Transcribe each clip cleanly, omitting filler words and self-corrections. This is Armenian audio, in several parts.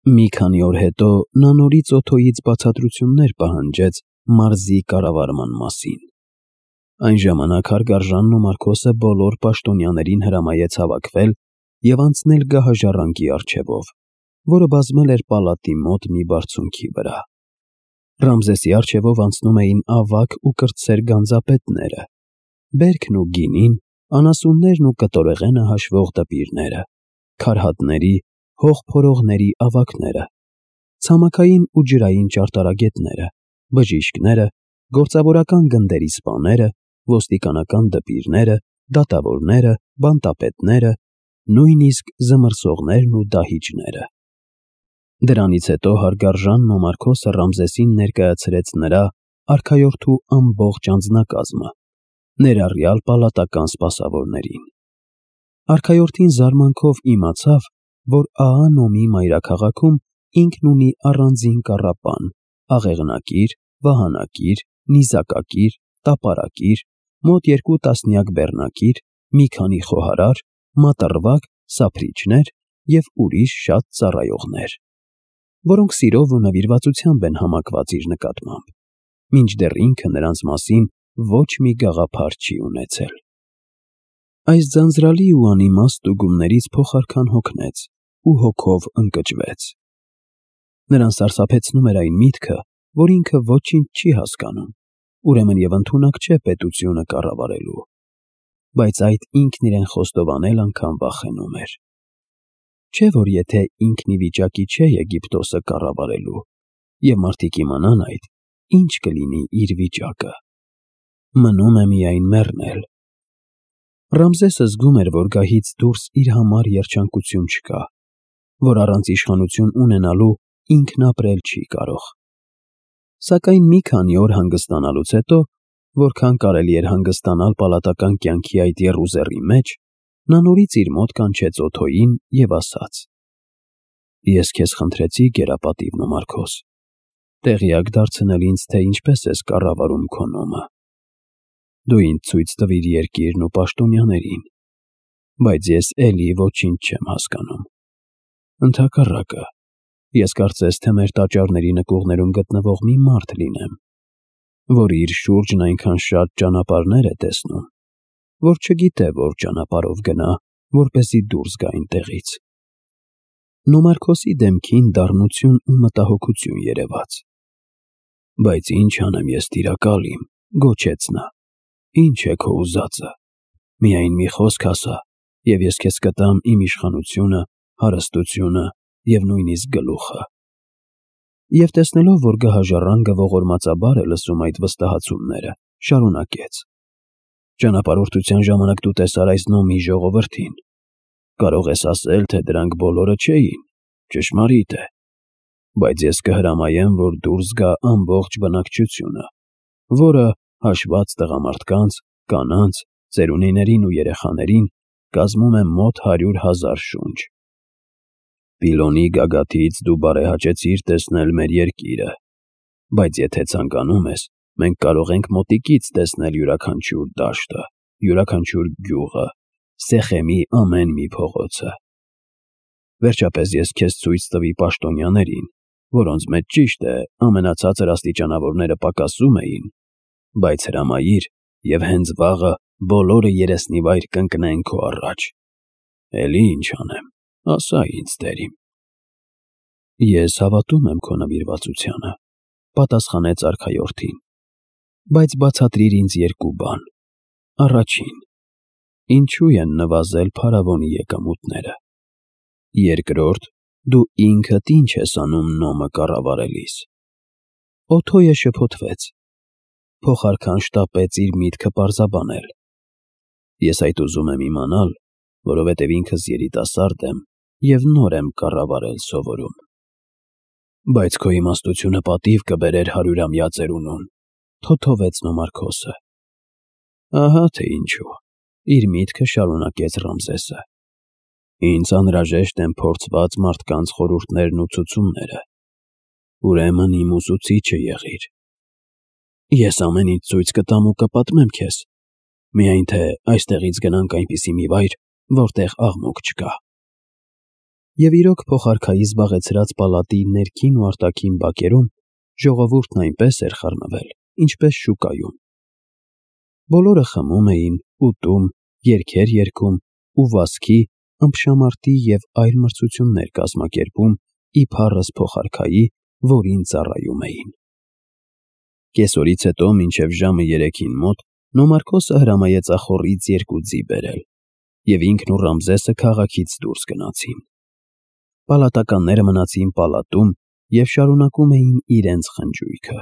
Մի քանի օր հետո նա նորից Օթոյից բացատրություններ պահանջեց մարզի կառավարման մասին։ Այն ժամանակ հարգարժանն ու Մարկոսը բոլոր պաշտոնյաներին հրամայեց հավաքվել և անցնել գահաժառանգի առջևով, որը բազմել էր պալատի մոտ մի բարձունքի վրա։ Ռամզեսի առջևով անցնում էին ավագ ու կրտսեր գանձապետները, բերքն ու գինին, անասուններն ու կտորեղենը հաշվող դպիրները, քարհատների, հող փորողների ավագները, ցամաքային ու ջրային ճարտարագետները, բժիշկները, գործավորական գնդերի սպաները, ոստիկանական դպիրները, դատավորները, բանտապետները, նույնիսկ զմռսողներն ու դահիճները։ Դրանից հետո հարգարժանն ու Մարկոսը Ռամզեսին ներկայացրեց նրա արքայորդու ամբողջ անձնակազմը, ներառյալ պալատական սպասավորներին։ Արքայորդին զարմանքով իմացավ, որ աղա Նոմի մայրաքաղաքում ինքն ունի առանձին կառապան, աղեղնակիր, վահանակիր, նիզակակիր, տապարակիր, մոտ 2 տասնյակ բեռնակիր, մի քանի խոհարար, մատռվակ, սափրիչներ և ուրիշ շատ ծառայողներ, որոնք սիրով ու նվիրվածությամբ են համակված իր նկատմամբ, մինչդեռ ինքը նրանց մասին ոչ մի գաղափար չի ունեցել։ Այս ձանձրալի ու անիմաստ ստուգումներից փոխարքան հոգնեց ու հոգով ընկճվեց։ Նրան սարսափեցնում էր այն միտքը, որ ինքը ոչինչ չի հասկանում, ուրեմն և ընդունակ չէ պետությունը կառավարելու, բայց այդ ինքն իրեն խոստովանել անգամ վախենում էր։ Չէ՞ որ եթե ինքն ի վիճակի չէ Եգիպտոսը կառավարելու, և մարդիկ իմանան այդ, ինչ կլինի իր վիճակը։ Մնում է միայն մեռնել։ Ռամզեսը զգում էր, որ գահից դուրս իր համար երջանկություն չկա, որ առանց իշխանություն ունենալու ինքն ապրել չի կարող։ Սակայն մի քանի օր հանգստանալուց հետո, որքան կարելի էր հանգստանալ պալատական կյանքի այդ եռուզեռի մեջ, նա նորից իր մոտ կանչեց Օթոյին և ասաց. «Ես քեզ խնդրեցի, գերապատիվ Նոմարքոս, տեղյակ դարձնել ինձ, թե ինչպես ես կառավարում քո նոմը։ Դու ինձ ցույց տվիր երկիրն ու պաշտոնյաներին, բայց ես էլի ոչինչ չեմ հասկանում։ Ընդհակառակը, ես կարծես թե մեր տաճարների նկուղներում գտնվող մի մարդ լինեմ, որ իր շուրջն այնքան շատ ճանապարհներ է տեսնում, որ չգիտե որ ճանապարհով գնա, որպեսզի դուրս գա այնտեղից»։ Նոմարքոսի դեմքին դառնություն ու մտահոգություն երևաց։ «Բայց ինչ անեմ ես, տիրակալ իմ», գոչեց նա, «ինչ է քո ուզածը։ Միայն մի խոսք ասա, և ես քեզ կտամ իմ իշխանությունը, հարստությունը և նույնիսկ գլուխը»։ Եվ տեսնելով, որ գահաժառանգը ողորմածաբար է լսում այդ վստահեցումները, շարունակեց. «Ճանապարհորդության ժամանակ դու տեսար այս Նոմի ժողովրդին։ Կարող ես ասել, թե դրանք բոլորը չէին, ճշմարիտ է, բայց ես կհրամայեմ, որ դուրս գա ամբողջ բնակչությունը, որը, հաշված տղամարդկանց, կանանց, ծերունիներին ու երեխաներին, կազմում է մոտ 100,000 շունչ։ Պիլոնի գագաթից դու բարեհաճեցիր տեսնել մեր երկիրը, բայց եթե ցանկանում ես, մենք կարող ենք մոտիկից տեսնել յուրաքանչյուր դաշտը, յուրաքանչյուր գյուղը, Սեխեմի ամեն մի փողոցը։ Վերջապես ես քեզ ցույց տվի պաշտոնյաներին, որոնց մեջ ճիշտ է, ամենացածր աստիճանավորները պակասում էին, բայց հրամայիր, և հենց վաղը բոլորը երեսնիվայր կընկնեն քո առաջ։ Էլի ինչ անեմ, ասա ինձ, տեր իմ»։ «Ես հավատում եմ քո նվիրվածությանը», պատասխանեց արքայորդին, «բայց բացատրիր ինձ երկու բան. Առաջին, ինչու են նվազել փարավոնի եկամուտները։ Երկրորդ, դու ինքդ ինչ ես անում Նոմը կառավարելիս»։ Օթոյը շփոթվեց, փոխարքան շտապեց իր միտքը պարզաբանել. «Ես այդ ուզում եմ իմանալ, որովհետև ինքս երիտասարդ եմ և նոր եմ կառավարել սովորում»։ «Բայց քո իմաստությունը պատիվ կբերեր 100-ամյա ծերունուն», թոթովեց Նոմարքոսը։ «Ահա թե ինչու», իր միտքը շարունակեց Ռամզեսը։ «Ինձ անհրաժեշտ են փորձված մարդկանց խորհուրդներն ու ցուցումները։ Ուրեմն իմ ուսուցիչը եղիր։ Ես ամեն ինչ ցույց կտամ ու կպատմեմ քեզ, միայն թե այստեղից գնանք այնպիսի մի վայր, որտեղ աղմուկ չկա»։ Եվ իրոք փոխարքայի զբաղեցրած պալատի ներքին ու արտաքին բակերում ժողովուրդն այնպես էր խառնվել, ինչպես շուկայում։ Բոլորը խմում էին, ուտում, երգեր երգում ու վասքի, ըմբշամարտի և այլ մրցություններ կազմակերպում իբարս փոխարքայի, որին ծառայում էին։ Կեսօրից հետո մինչև ժամը 3-ին մոտ Նոմարքոսը հրամայեց ախոռից 2 ձի բերել, և ինքն ու Ռամզեսը քաղաքից դուրս գնացին։ Պալատականները մնացին պալատում և շարունակում էին իրենց խնջույքը։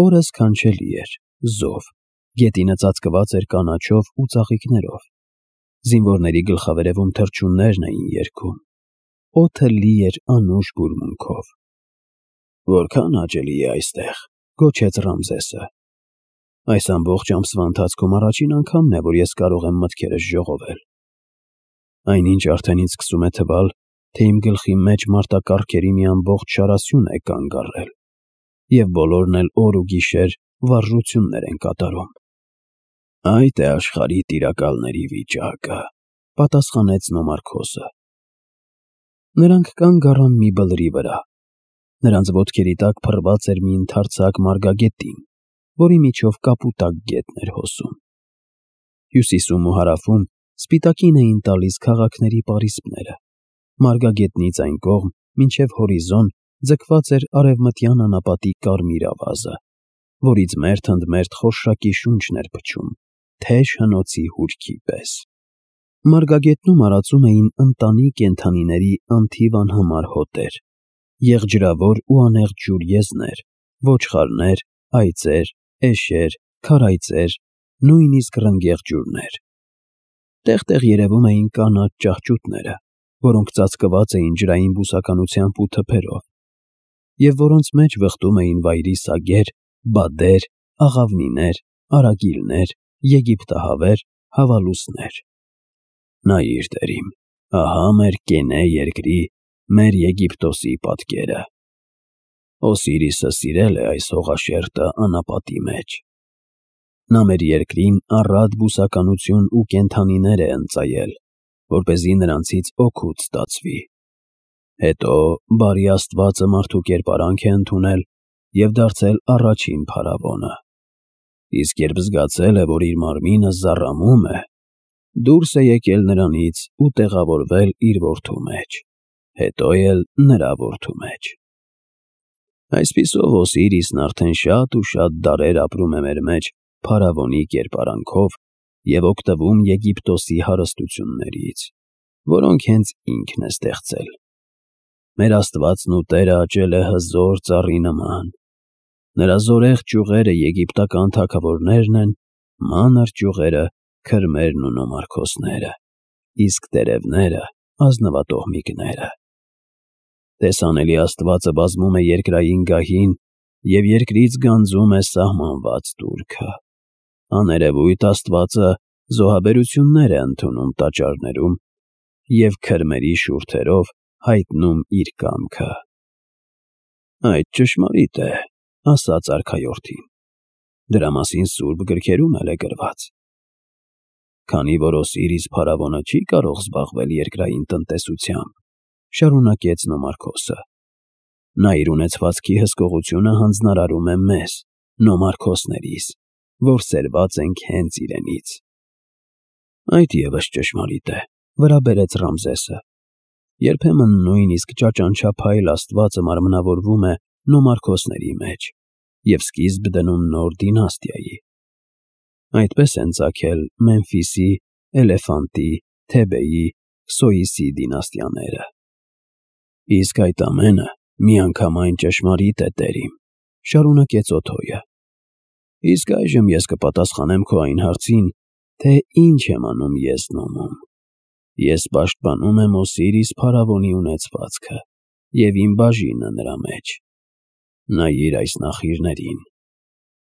Օրը սքանչելի էր, զով, գետինը ծածկված էր կանաչով ու ծաղիկներով։ Զինվորների գլխավերևում թռչուններն էին երգում։ Օդը լի էր անուշ բուրմունքով։ «Որքան հաճելի է այստեղ», գոչեց Ռամզեսը։ «Այս ամբողջ ամսվա ընթացքում առաջին անգամն է, որ ես կարող եմ մտքերս ժողովել։ Այնինչ արդեն ինձ սկսում է թվալ, թե իմ գլխի մեջ մարտակառքերի մի ամբողջ շարասյուն է կանգ առել, և բոլորն էլ օր ու գիշեր վարժություններ են կատարում»։ «Այդ է աշխարհի տիրակալների վիճակը», պատասխանեց Նոմարքոսը։ Նրանք կանգ առան մի բլրի վրա։ Նրանց ոտքերի տակ փռված էր մի ընդարձակ մարգագետին, որի միջով կապուտակ գետն էր հոսում։ Հյուսիսում ու հարավում սպիտակին էին տալիս քաղաքների պարիսպները։ Մարգագետնից այն կողմ, մինչև հորիզոն, ձգված էր արևմտյան անապատի կարմիր ավազը, որից մերթ ընդ մերթ խորշակի շունչն էր փչում, թեժ հնոցի հուրքի պես։ Մարգագետնում արածում էին ընտանի կենդանիների անթիվ անհամար հոտեր, եղջրավոր ու անեղջ ջուրեզներ, ոչխարներ, այծեր, էշեր, քարայծեր, նույնիսկ ռնգեղ ջուրներ։ Տեղ-տեղ երևում էին կանաչ ճահճուտները, որոնք ծածկված էին ջրային բուսականությամբ ու թփերով, և որոնց մեջ վխտում էին վայրի սագեր, բադեր, աղավնիներ, արագիլներ, եգիպտահավեր, հավալուսներ։ «Նայիր, տերիմ, ահա մեր Կենե երկրի, մեր Եգիպտոսի պատկերը։ Օսիրիսը սիրել է այս հողաշերտը անապատի մեջ։ Նա մեր երկրին առատ բուսականություն ու կենդանիներ է ընծայել, որպեսզի նրանցից օգուտ ստացվի։ Հետո բարի Աստվածը մարդու կերպարանք է ընդունել և դարձել առաջին փարավոնը։ Իսկ երբ զգացել է, որ իր մարմինը զառամում է, դուրս է եկել նրանից ու տեղավորվել իր որդու մեջ, հետո էլ նրա որդու մեջ։ Այսպիսով Օսիրիսն արդեն շատ ու շատ դարեր ապրում է մեր մեջ փարավոնի կերպարանքով և օգտվում Եգիպտոսի հարստություններից, որոնք հենց ինքն է ստեղծել։ Մեր Աստվածն ու Տերը աճել է հզոր ծառի նման։ Նրա զորեղ ճյուղերը եգիպտական թագավորներն են, մանր ճյուղերը քրմերն ու նոմարքոսները, իսկ տերևները ազնվատոհմիկները։ Տեսանելի Աստվածը բազմում է երկրային գահին և երկրից գանձում է սահմանված տուրքը։ Աներևույթ Աստվածը զոհաբերություններ է ընդունում տաճարներում և քրմերի շուրթերով հայտնում իր կամքը։ Այդ ճշմարիտ է, ասաց արքայորդին։ Դրա մասին սուրբ գրքերում էլ է գրված։ Քանի որ Օսիրիս փարավոնը չի կարող զբաղվել երկրային տնտեսությամբ, շարունակեց Նոմարքոսը, նա իր ունեցվածքի հսկողությունը հանձնարարում է մեզ, նոմարքոսներիս, որ սերված ենք հենց իրենից։ Այդ ևս ճշմարիտ է, վրա բերեց Ռամզեսը։ Երբեմն նույնիսկ ճաճանչափայլ Աստվածը մարմնավորվում է նոմարքոսների մեջ և սկիզբ դնում նոր դինաստիայի։ Այդպես են ծագել Մեմֆիսի, Էլեֆանտի, Թեբեի, Քսոիսի դինաստիաները։ Իսկ այդ ամենը միանգամայն ճշմարիտ է, տերիմ, շարունակեց Օթոյը։ Իսկ այժմ ես կպատասխանեմ քո այն հարցին, թե ինչ եմ անում ես Նոմում։ Ես պաշտպանում եմ Օսիրիս փարավոնի ունեցվածքը և իմ բաժինը նրա մեջ։ Նայիր այս նախիրներին։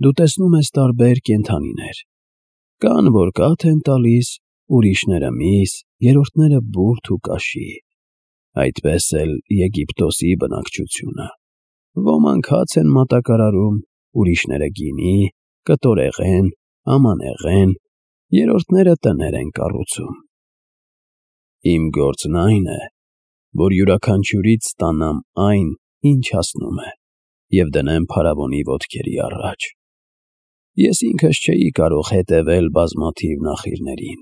Դու տեսնում ես տարբեր կենդանիներ։ Կան, որ կաթ են տալիս, ուրիշները միս, երրորդները բուրդ ու կաշի։ Այդպես էլ Եգիպտոսի բնակչությունը։ Ոմանք հաց են մատակարարում, ուրիշները գինի, կտորեղեն, ամանեղեն, երրորդները տներ են կառուցում։ Իմ գործն այն է, որ յուրաքանչյուրից ստանամ այն, ինչ հասնում է, և դնեմ փարավոնի ոտքերի առաջ։ Ես ինքս չէի կարող հետևել բազմաթիվ նախիրներին,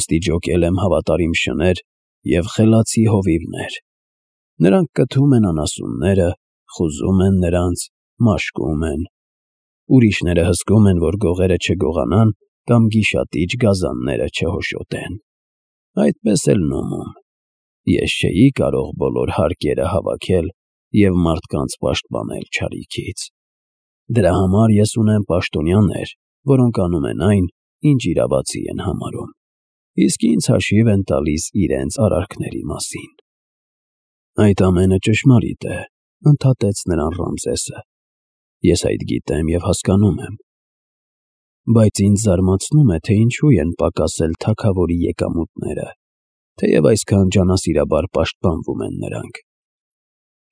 ուստի ջոկել եմ հավատարիմ շներ և խելացի հովիվներ։ Նրանք կթում են անասունները, խուզում են նրանց, մաշկում են։ Ուրիշները հսկում են, որ գողերը չգողանան կամ գիշատիչ գազանները չհոշոտեն։ Այդպես էլ նոմում։ Ես չէի կարող բոլոր հարկերը հավաքել և մարդկանց պաշտպանել չարիքից։ Դրա համար ես ունեմ պաշտոնյաներ, որոնք անում են այն, ինչ իրավացի են համարում, իսկ ինձ հաշիվ են տալիս իրենց արարքների մասին։ Այդ ամենը ճշմարիտ է, ընդհատեց նրան Ռամզեսը։ Ես այդ գիտեմ և հասկանում եմ։ Բայց ինձ զարմացնում է, թե ինչու են պակասել թագավորի եկամուտները, թեև այսքան ջանասիրաբար պաշտպանվում են նրանք։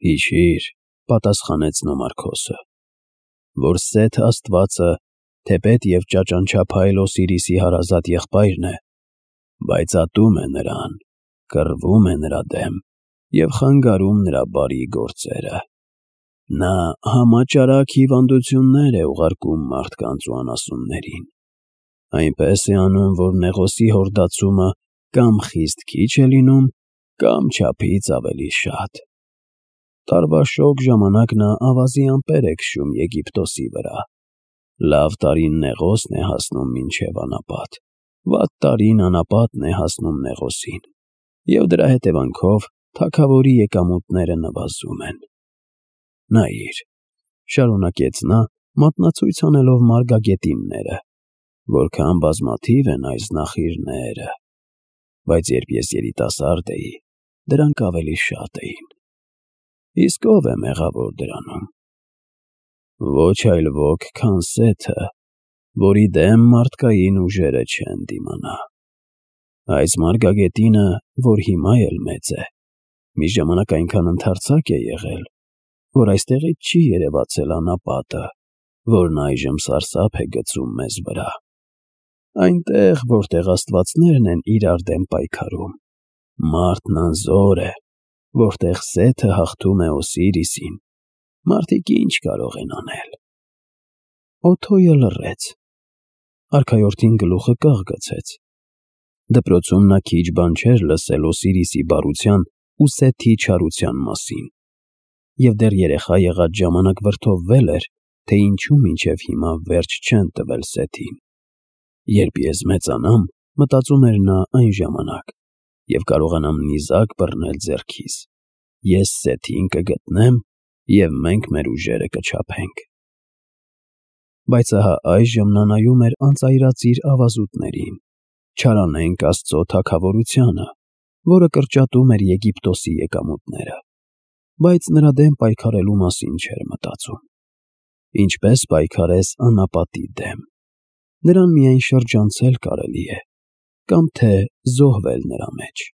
Հիշիր, պատասխանեց Նոմարքոսը, որ Սեթ աստվածը թեպետ և ճաճանչափայլ Օսիրիսի հարազատ եղբայրն է, բայց ատում է նրան, կռվում է նրա դեմ և խանգարում նրա բարի գործերը։ Նա համաճարակ հիվանդություններ է ուղարկում մարդկանց ու անասուններին։ Այնպես է անում, որ նեղոսի հորդացումը կամ խիստ քիչ է լինում, կամ չափից ավելի շատ։ Տարվա շոգ ժամանակ նա ավազի ամպեր է քշում Եգիպտոսի վրա։ Լավ տարին նեղոսն է հասնում մինչև անապատ, վատ տարին անապատն է հասնում նեղոսին, և դրա հետևանքով թագավորի եկամուտները նվազում են։ Նայիր, շարունակեց նա, մատնացույց անելով մարգագետինները, որքան բազմաթիվ են այս նախիրները, բայց երբ ես երիտասարդ էի, դրանք ավելի շատ էին։ Իսկ ո՞վ է մեղավոր դրանում։ Ոչ այլ ոք, քան Սեթը, որի դեմ մարդկային ուժերը չեն դիմանա։ Այս մարգագետինը, որ հիմա էլ մեծ է, մի ժամանակ այնքան ընդարձակ է եղել, որ այստեղից չի երևացել անապատը, որն այժմ սարսափ է գցում մեզ վրա։ Այնտեղ, որտեղ աստվածներն են իրար դեմ պայքարում, մարդն անզոր է, որտեղ Սեթը հաղթում է Օսիրիսին, մարդիկ ինչ կարող են անել։ Օթոյը լռեց։ Արքայորդին գլուխը կաղ գցեց։ Դպրոցում նա քիչ բան չէր լսել Օսիրիսի բարության ու Սեթի չարության մասին, և դեռ երեխա եղած ժամանակ վրդովվել էր, թե ինչու մինչև հիմա վերջ չեն տվել Սեթին։ Երբ ես մեծանամ, մտածում էր նա այն ժամանակ, և կարողանամ նիզակ բռնել ձեռքիս, ես Սեթին կգտնեմ, և մենք մեր ուժերը կչափենք։ Բայց ահա այժմ նա նայում էր անծայրածիր ավազուտներին, չարանենգ Աստծո թագավորությանը, որը կրճատում էր Եգիպտոսի եկամուտները, բայց նրա դեմ պայքարելու մասին չէր մտածում։ Ինչպես պայքարես անապատի դեմ։ Նրան միայն շրջանցել կարելի է, կամ թե զոհվել նրա մեջ։